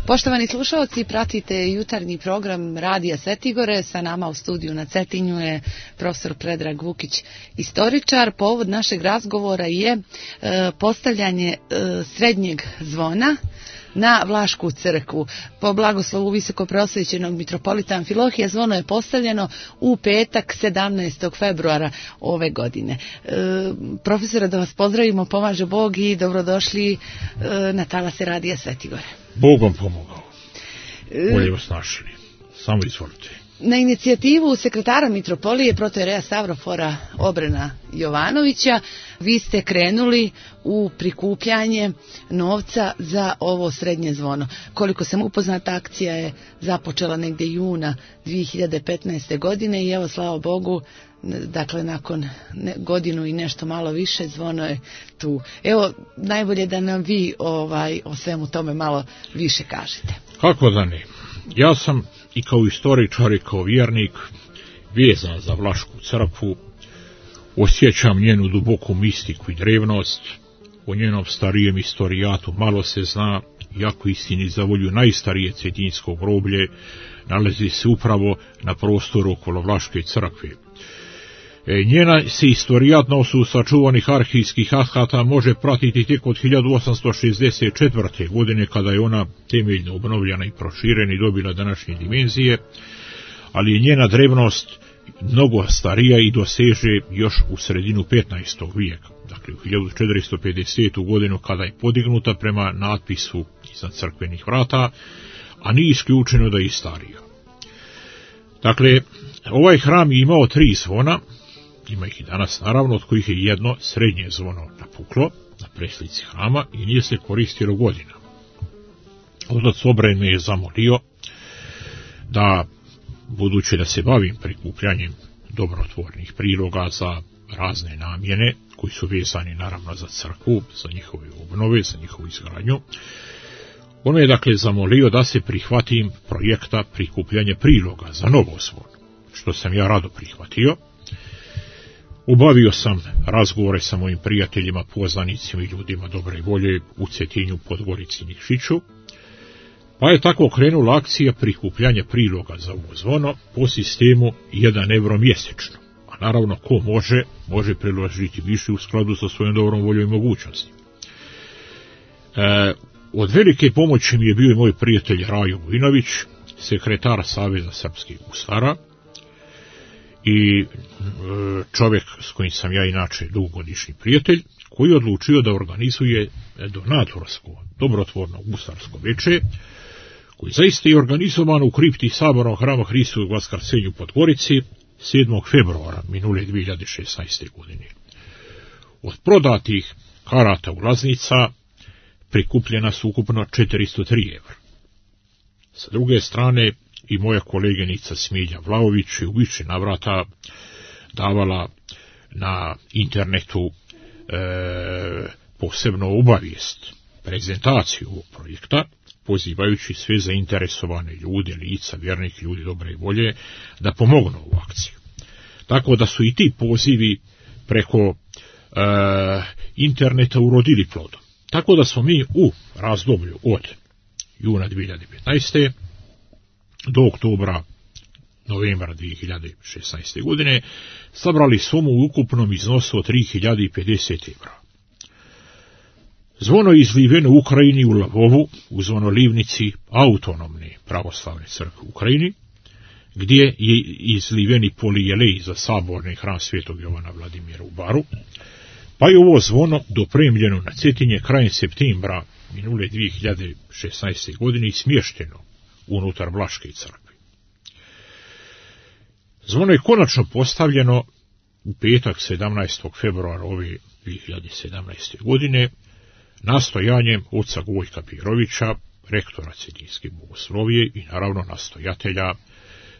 Poštovani slušalci, pratite jutarnji program Radija Svetigore. Sa nama u studiju na Cetinju je profesor Predrag Vukić, istoričar. Povod našeg razgovora je postavljanje srednjeg zvona na Vlašku crkvu. Po blagoslovu visokoprosvećenog mitropolita Amfilohija zvono je postavljeno u petak 17. februara ove godine. Profesore, da vas pozdravimo, pomaže Bog i dobrodošli na talase Radija Svetigore. Bogom pomogao. Bolje vas našli. Samo izvolite. Na inicijativu sekretara mitropolije protojereja Stavrofora Obrena Jovanovića vi ste krenuli u prikupljanje novca za ovo srednje zvono. Koliko sam upoznata, akcija je započela negdje juna 2015. godine i evo, slava Bogu, dakle nakon godinu i nešto malo više zvono je tu. Evo, najbolje da nam vi o svemu tome malo više kažete. Kako da ne? Ja sam i kao istoričar i kao vjernik vezan za Vlašku crkvu, osjećam njenu duboku mistiku i drevnost, o njenom starijem istorijatu malo se zna, iako istini za volju najstarije cetinjsko groblje nalazi se upravo na prostoru okolo Vlaške crkve. Njena se istorijat na osnovu sačuvanih arhivskih akata može pratiti tek od 1864. godine, kada je ona temeljno obnovljena i proširena i dobila današnje dimenzije, ali je njena drevnost mnogo starija i doseže još u sredinu 15. vijeka, dakle u 1450. godinu, kada je podignuta prema natpisu iznad crkvenih vrata, a nije isključeno da je i starija. Dakle, ovaj hram je imao 3 zvona, ima ih i danas naravno, od kojih je jedno srednje zvono napuklo na preslici hrama i nije se koristilo godinama. Otac Obren me je zamolio da, budući da se bavim prikupljanjem dobrotvornih priloga za razne namjene, koji su vezani naravno za crkvu, za njihove obnove, za njihovu izgradnju, on me je dakle zamolio da se prihvatim projekta prikupljanja priloga za novo zvono, što sam ja rado prihvatio. Obavio sam razgovore sa mojim prijateljima, poznanicima i ljudima dobre volje u Cetinju, Podgorici i Nikšiću, pa je tako krenula akcija prikupljanja priloga za ovo zvono po sistemu 1 euro mjesečno. A naravno, ko može priložiti više u skladu sa svojom dobrom voljom i mogućnosti. Od velike pomoći mi je bio i moj prijatelj Rajo Vujinović, sekretar Saveza srpskih gusara, i čovjek s kojim sam ja inače dugogodišnji prijatelj, koji je odlučio da organizuje donatorsko, dobrotvorno gusarsko veče, koji zaista je organizovano u kripti Sabornog hrama Hristovog Vaskrsenja u Podgorici 7. februara minule 2016. godine. Od prodatih karata ulaznica prikupljena su ukupno 403 evra. Sa druge strane, i moja koleginica Smilja Vlaović je u više navrata davala na internetu posebno obavijest, prezentaciju ovog projekta, pozivajući sve zainteresovane ljude, lica, vjernike, ljudi dobre volje, da pomognu u akciju. Tako da su i ti pozivi preko interneta urodili plodom. Tako da smo mi u razdoblju od juna 2015. do oktobra, novembra 2016. godine sabrali sumu u ukupnom iznosu od 3050 evra. Zvono je izliveno u Ukrajini, u Lavovu, u zvonolivnici autonomne pravoslavne crkve u Ukrajini, gdje je izliveni polijelej za saborni hram Svetog Jovana Vladimira u Baru, pa je ovo zvono dopremljeno na Cetinje krajem septembra minule 2016. godine i smješteno unutar Vlaške crkve. Zvono je konačno postavljeno u petak 17. februara ove 2017. godine nastojanjem oca Gojka Pirovića, rektora Cetinjske bogoslovije i naravno nastojatelja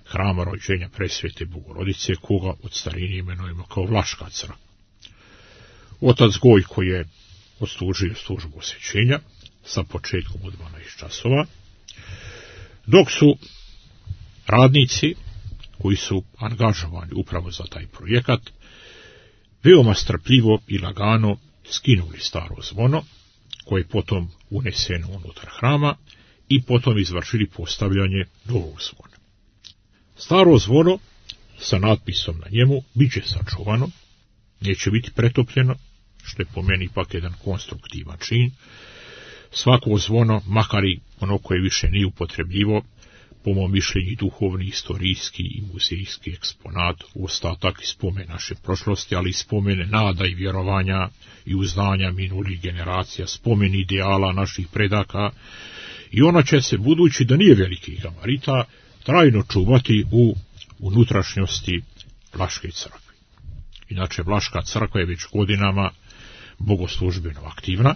hrama rođenja Presvete Bogorodice, koga od starine imenujemo kao Vlaška crkva. Otac Gojko je odslužio službu osvećenja sa početkom u 12 časova, dok su radnici koji su angažovani upravo za taj projekat veoma strpljivo i lagano skinuli staro zvono, koje je potom uneseno unutar hrama i potom izvršili postavljanje novog zvona. Staro zvono sa natpisom na njemu bit će sačuvano, neće biti pretopljeno, što je po meni ipak jedan konstruktivan čin. Svako zvono, makar i ono koje više nije upotrebljivo, po mom mišljenju duhovni, istorijski i muzejski eksponat, ostatak i spomen naše prošlosti, ali i spomene nada i vjerovanja i uznanja minulih generacija, spomen ideala naših predaka, i ona će se, budući da nije velikih gabarita, trajno čuvati u unutrašnjosti Vlaške crkve. Inače, Vlaška crkva je već godinama bogoslužbeno aktivna.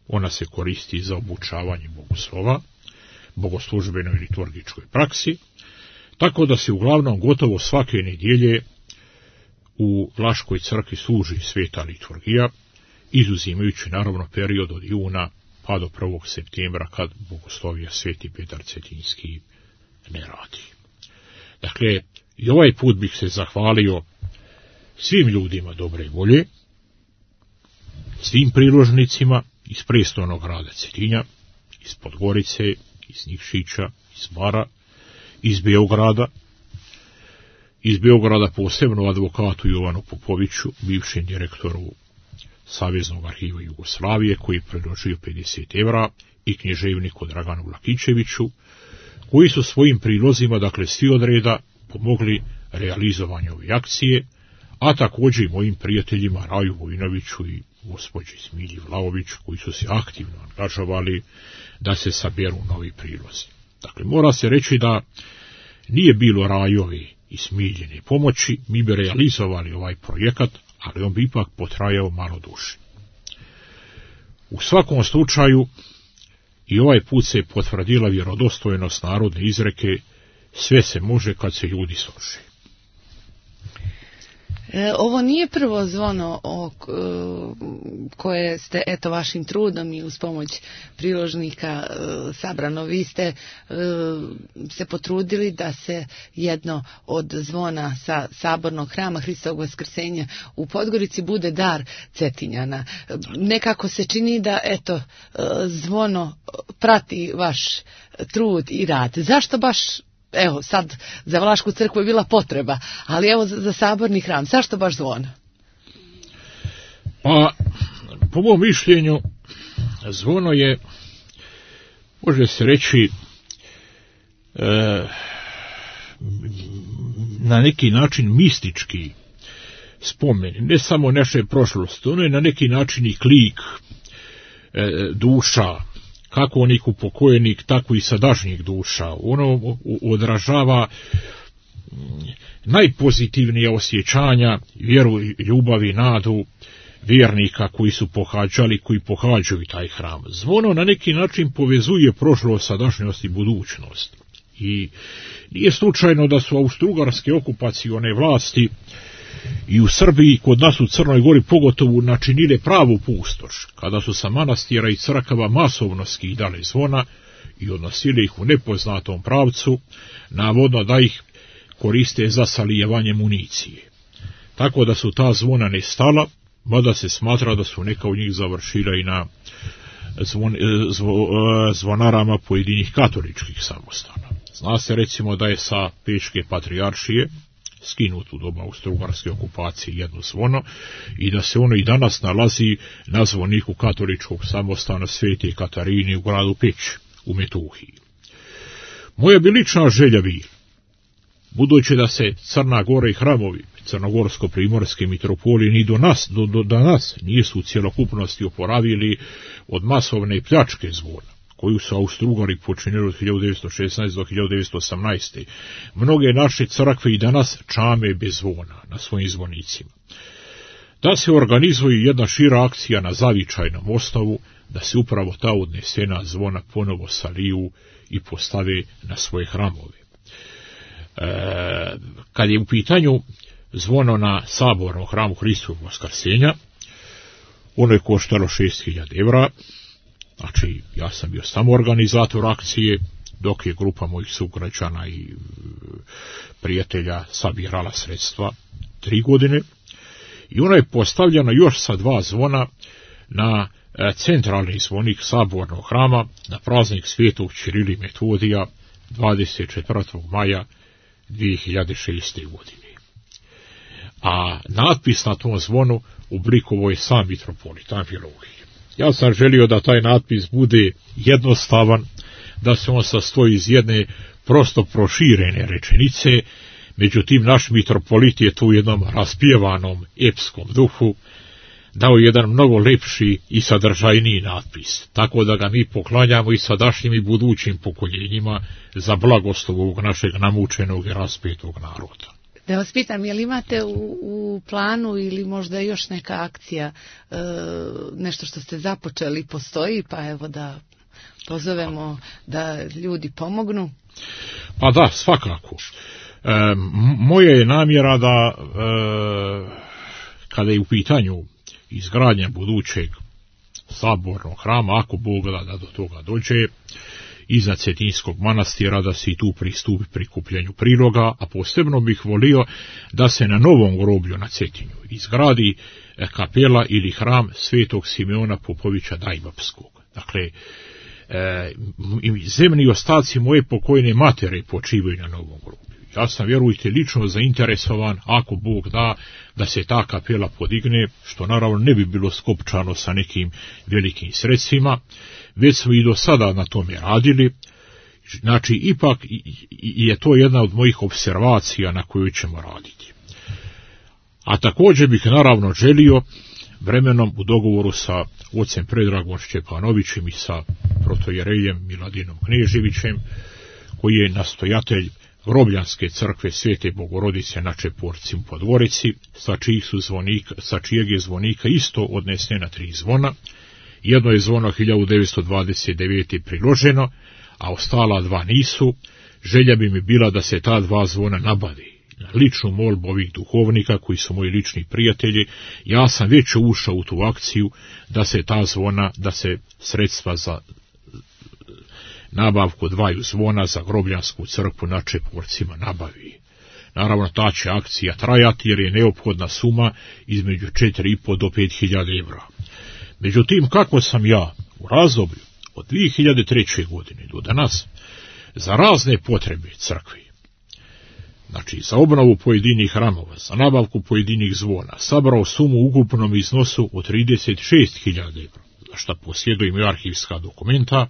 Ona se koristi za obučavanje bogoslova, bogoslužbenoj liturgičkoj praksi, tako da se uglavnom gotovo svake nedjelje u Vlaškoj crkvi služi sveta liturgija, izuzimajući naravno period od juna pa do 1. septembra, kad bogoslovija Sveti Petar Cetinski ne radi. Dakle, i ovaj put bih se zahvalio svim ljudima dobre volje, svim priložnicima iz prestolnog grada Cetinja, iz Podgorice, iz Nikšića, iz Bara, iz Beograda posebno advokatu Jovanu Popoviću, bivšem direktoru Saveznog arhiva Jugoslavije, koji je predložio 50 evra, i književniku Draganu Vlakićeviću, koji su svojim prilozima, dakle svi od reda, pomogli realizovanju ove akcije, a također i mojim prijateljima Raju Vojinoviću i gospođi Smilji Vlaović, koji su se aktivno angažovali da se saberu novi prilozi. Dakle, mora se reći da nije bilo Rajovi i Smiljine pomoći, mi bi realizovali ovaj projekat, ali on bi ipak potrajao malo duže. U svakom slučaju, i ovaj put se potvrdila vjerodostojnost narodne izreke: sve se može kad se ljudi slože. Ovo nije prvo zvono koje ste, eto, vašim trudom i uz pomoć priložnika sabrano. Vi ste se potrudili da se jedno od zvona sa sabornog hrama Hristovog Vaskrsenja u Podgorici bude dar Cetinjana. Nekako se čini da, eto, zvono prati vaš trud i rad. Zašto baš, evo, sad za Vlašku crkvu je bila potreba, ali evo za saborni hram, zašto baš zvono? Pa, po mom mišljenju, zvono je, može se reći, na neki način mistički spomen, ne samo naše prošlosti, ono je na neki način i klik duša, kako onih upokojenih, tako i sadašnjih duša. Ono odražava najpozitivnije osjećanja, vjeru, ljubav i nadu vjernika koji su pohađali, koji pohađaju taj hram. Zvono na neki način povezuje prošlost, sadašnjost i budućnost. I nije slučajno da su austrougarske okupacione vlasti i u Srbiji, kod nas u Crnoj Gori pogotovo, načinile pravu pustoš, kada su sa manastira i crkava masovno skidale zvona i odnosili ih u nepoznatom pravcu, navodno da ih koriste za salijevanje municije. Tako da su ta zvona nestala, mada se smatra da su neka od njih završila i na zvonarama pojedinih katoličkih samostana. Zna se recimo da je sa Pečke patrijaršije skinuto u doba austrougarske okupacije jedno zvono i da se ono i danas nalazi na zvoniku katoličkog samostana Svete Katarine u gradu Peć u Metuhiji. Moja bi lična želja bila, budući da se Crna Gora i hramovi crnogorsko-primorske mitropolije ni do nas nisu u cjelokupnosti oporavili od masovne pljačke zvona, koju su Austrougali počinili od 1916. do 1918. Mnoge naše crkve i danas čame bez zvona na svojim zvonicima. Da se organizuje jedna šira akcija na zavičajnom osnovu, da se upravo ta odnesena zvona ponovo saliju i postave na svoje hramove. Kad je u pitanju zvono na sabornom hramu Hristovog Vaskrsenja, ono je koštalo 6.000 evra, znači ja sam bio samo organizator akcije, dok je grupa mojih sugrađana i prijatelja sabirala sredstva 3 godine, i ona je postavljena još sa 2 zvona na centralni zvonik sabornog hrama na praznik Svetog Ćirila i Metodija 24. maja 2006. godine. A natpis na tom zvonu oblikovao je sam mitropolit Amfilohije. Ja sam želio da taj natpis bude jednostavan, da se on sastoji iz jedne prosto proširene rečenice, međutim naš mitropolit je tu u jednom raspjevanom epskom duhu dao jedan mnogo lepši i sadržajniji natpis, tako da ga mi poklanjamo i sadašnjim i budućim pokoljenjima za blagoslov ovog našeg namučenog i raspetog naroda. Da vas pitam, je li imate u planu ili možda još neka akcija, nešto što ste započeli postoji, pa evo da pozovemo da ljudi pomognu? Pa da, svakako. Moja je namjera da kada je u pitanju izgradnja budućeg sabornog hrama, ako Bog da do toga dođe, iznad Cetinskog manastira, da se i tu pristupi prikupljanju priloga, a posebno bih volio da se na novom groblju na Cetinju izgradi kapela ili hram Svetog Simeona Popovića Dajbapskog. Dakle, zemni ostaci moje pokojne matere počivaju na novom groblju. Ja sam, vjerujte, lično zainteresovan, ako Bog da se ta kapela podigne, što naravno ne bi bilo skopčano sa nekim velikim sredstvima, već smo i do sada na tome radili. Znači, ipak je to jedna od mojih observacija na koju ćemo raditi. A također bih naravno želio vremenom u dogovoru sa ocem Predragom Šćepanovićem i sa protojerejem Miladinom Kneževićem, koji je nastojatelj Grobljanske crkve Svete Bogorodice na Čeporci u Podgorici, sa čijeg je zvonika isto odnesena 3 zvona. Jedno je zvono 1929. priloženo, a ostala 2 nisu. Želja bi mi bila da se ta 2 zvona nabavi. Na ličnu molbu ovih duhovnika, koji su moji lični prijatelji, ja sam već ušao u tu akciju da se ta zvona, da se sredstva za nabavku 2 zvona za Grobljansku crkvu na Čeporcima nabavi. Naravno, ta će akcija trajati jer je neophodna suma između 4.500 do 5.000 evra. Međutim, kako sam ja u razdoblju od 2003. godine do danas za razne potrebe crkvi, znači za obnovu pojedinih hramova, za nabavku pojedinih zvona, sabrao sumu u ukupnom iznosu od 36.000 evra, za što posjedujem i arhivska dokumenta,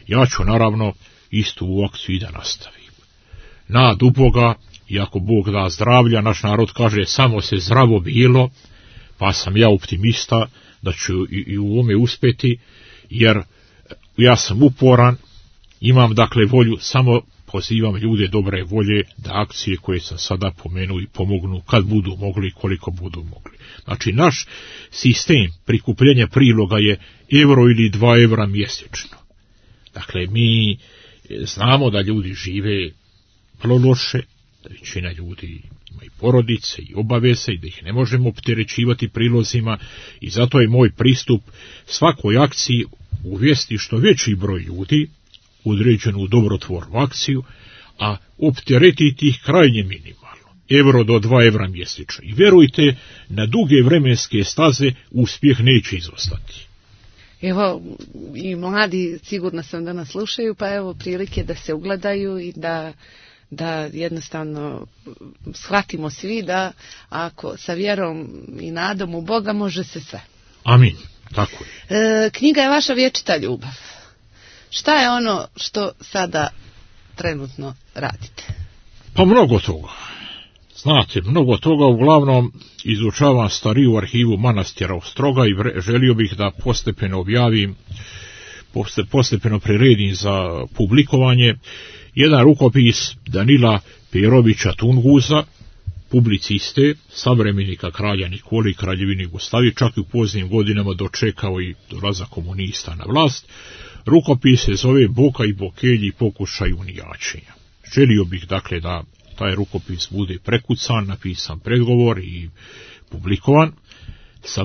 ja ću naravno istu u akciju i da nastavim. Nad u Boga, i ako Bog da zdravlja, naš narod kaže samo se zdravo bilo, pa sam ja optimista da ću i u ovome uspjeti, jer ja sam uporan, imam dakle volju, samo pozivam ljude dobre volje da akcije koje sam sada pomenuo i pomognu kad budu mogli, koliko budu mogli. Znači, naš sistem prikupljenja priloga je euro ili 2 evra mjesečno. Dakle, mi znamo da ljudi žive vrlo loše, da većina ljudi ima i porodice i obaveze i da ih ne možemo opterećivati prilozima, i zato je moj pristup svakoj akciji uvesti što veći broj ljudi određenu u dobrotvornu akciju, a opteretiti ih krajnje minimalno, euro do 2 evra mjesečno. I vjerujte, na duge vremenske staze uspjeh neće izostati. Evo, i mladi sigurno sam da nas slušaju, pa evo prilike da se ugledaju i da jednostavno shvatimo svi da ako sa vjerom i nadom u Boga može se sve. Amin, tako je. Knjiga je vaša vječita ljubav. Šta je ono što sada trenutno radite? Pa mnogo toga. Znate, mnogo toga, uglavnom izučavam stariju arhivu manastira Ostroga i želio bih da postepeno objavim, postepeno priredim za publikovanje jedan rukopis Danila Perovića Tunguza, publiciste, savremenika kralja Nikole i kraljevine Jugoslavije, čak i u poznim godinama dočekao i dolazak komunista na vlast. Rukopis se zove Boka i Bokelji pokušaj unijačenja. Želio bih dakle da taj rukopis bude prekucan, napisan predgovor i publikovan sa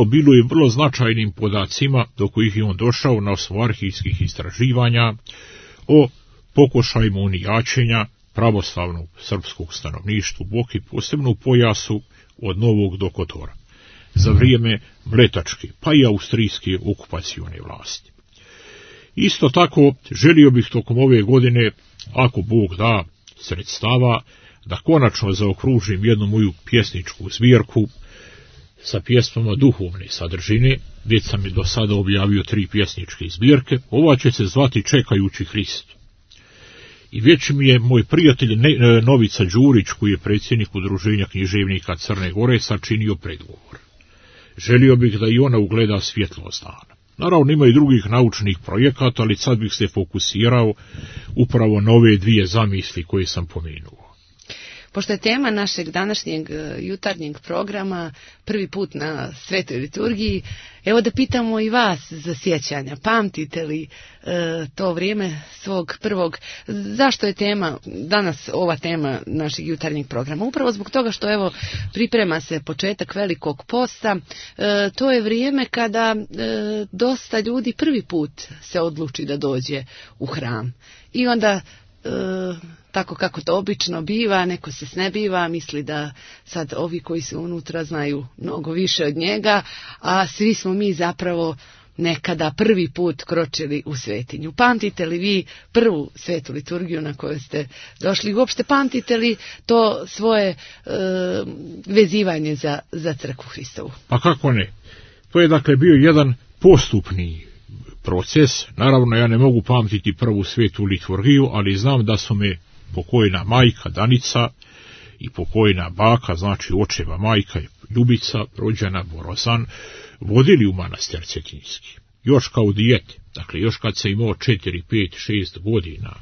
bilo je vrlo značajnim podacima do kojih je on došao na osnovu arhivskih istraživanja o pokušajima unijačenja pravoslavnog srpskog stanovništva u Boki, posebno u pojasu od Novog do Kotora. za vrijeme mletačke, pa i austrijske okupacione vlasti. Isto tako, želio bih tokom ove godine, ako Bog da sredstava, da konačno zaokružim jednu moju pjesničku zbirku sa pjesmama duhovne sadržine. Već sam i do sada objavio 3 pjesničke zbirke. Ova će se zvati Čekajući Hristu. I već mi je moj prijatelj Novica Đurić, koji je predsjednik Udruženja književnika Crne Gore, sačinio predgovor. Želio bih da i ona ugleda svjetlost dana. Naravno, ima i drugih naučnih projekata, ali sad bih se fokusirao upravo na ove 2 zamisli koje sam pomenuo. Pošto je tema našeg današnjeg jutarnjeg programa prvi put na Svetoj liturgiji, evo da pitamo i vas za sjećanja. Pamtite li to vrijeme svog prvog? Zašto je tema danas ova tema našeg jutarnjeg programa? Upravo zbog toga što evo priprema se početak Velikog posta. To je vrijeme kada dosta ljudi prvi put se odluči da dođe u hram. I onda tako kako to obično biva, neko se snebiva, misli da sad ovi koji su unutra znaju mnogo više od njega, a svi smo mi zapravo nekada prvi put kročili u svetinju. Pamtite li vi prvu svetu liturgiju na kojoj ste došli? Uopšte pamtite li to svoje vezivanje za crkvu Hristovu? Pa kako ne? To je dakle bio jedan postupni proces. Naravno, ja ne mogu pamtiti prvu svetu liturgiju, ali znam da su me pokojna majka Danica i pokojna baka, znači očeva majka Ljubica, rođena Borozan, vodili u manastir Cetinjski. Još kao dijete, dakle još kad sam imao 4, 5, 6 godina,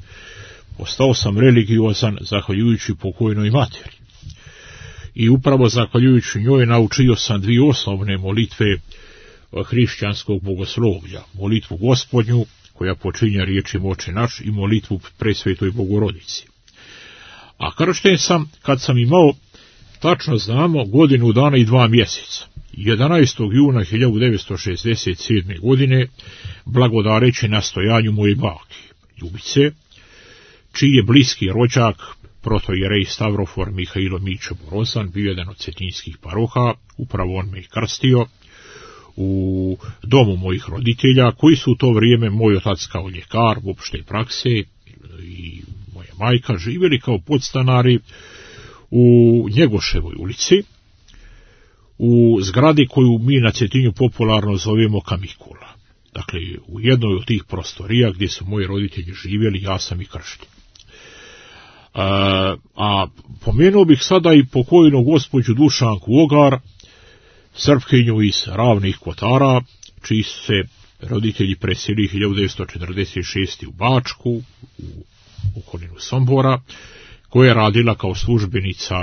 postao sam religiozan zahvaljujući pokojnoj materi. I upravo zahvaljujući njoj naučio sam 2 osnovne molitve hrišćanskog bogoslovlja, molitvu Gospodnju, koja počinje riječima Oče naš, i molitvu Presvetoj Bogorodici. A kršten sam kad sam imao, tačno znamo, godinu dana i 2 mjeseca. 11. juna 1967. godine, blagodareći nastojanju moje bake, Ljubice, čiji je bliski rođak, protojerej Stavrofor Mihajlo Mićo Borozan, bio jedan od cetinjskih paroha, upravo on me i krstio, u domu mojih roditelja, koji su u to vrijeme, moj otac kao ljekar u opšte prakse i moja majka, živjeli kao podstanari u Njegoševoj ulici, u zgradi koju mi na Cetinju popularno zovemo Kamikula. Dakle, u jednoj od tih prostorija gdje su moji roditelji živjeli, ja sam i kršten. A pomenuo bih sada i pokojnu gospođu Dušanku Ogar, Srpkinju iz Ravnih Kotara, čiji se roditelji preselili 1946. u Bačku, u okolinu Sombora, koja je radila kao službenica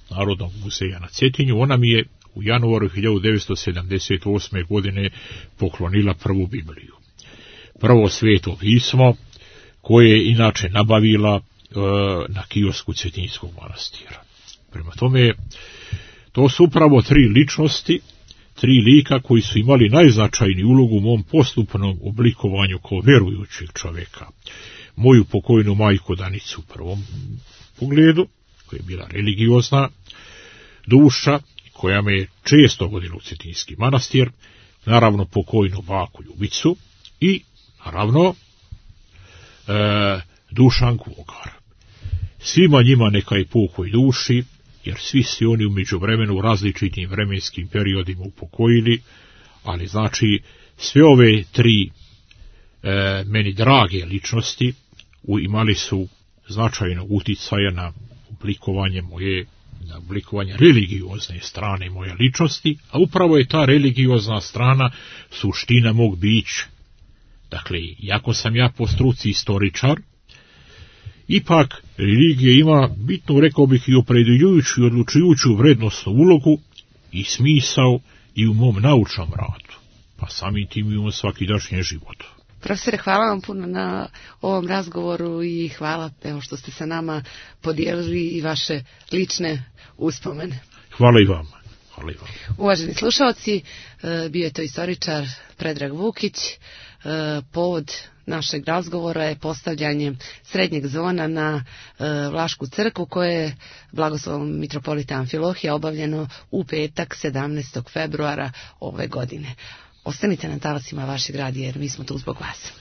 Narodnog muzeja na Cetinju. Ona mi je u januaru 1978. godine poklonila prvu Bibliju. Prvo sveto pismo, koje je inače nabavila na kiosku Cetinjskog manastira. Prema tome, to su upravo 3 ličnosti, 3 lika koji su imali najznačajniju ulogu u mom postupnom oblikovanju kao vjerujućeg čovjeka. Moju pokojnu majku Danicu u prvom pogledu, koja je bila religiozna duša, koja me je često vodila u Cetinjski manastir, naravno pokojnu baku Ljubicu i naravno Dušanku Ogar. Svima njima neka je pokoj duši, jer svi se oni u međuvremenu u različitim vremenskim periodima upokojili, ali znači sve ove 3 meni drage ličnosti imali su značajnog uticaja na oblikovanje religiozne strane moje ličnosti, a upravo je ta religiozna strana suština mog bića. Dakle, iako sam ja po struci istoričar, ipak religija ima bitnu, rekao bih, i opredjeljujuću i odlučujuću vrednostnu ulogu i smisao i u mom naučnom radu, pa samim tim i u svakidašnjem životu. Profesore, hvala vam puno na ovom razgovoru i hvala evo što ste sa nama podijelili i vaše lične uspomene. Hvala i vama. Uvaženi slušalci, bio je to istoričar Predrag Vukić. Povod našeg razgovora je postavljanje srednjeg zvona na Vlašku crkvu koje je blagoslovom mitropolita Amfilohija obavljeno u petak 17. februara ove godine. Ostanite na talasima vašeg radija jer mi smo tu zbog vas.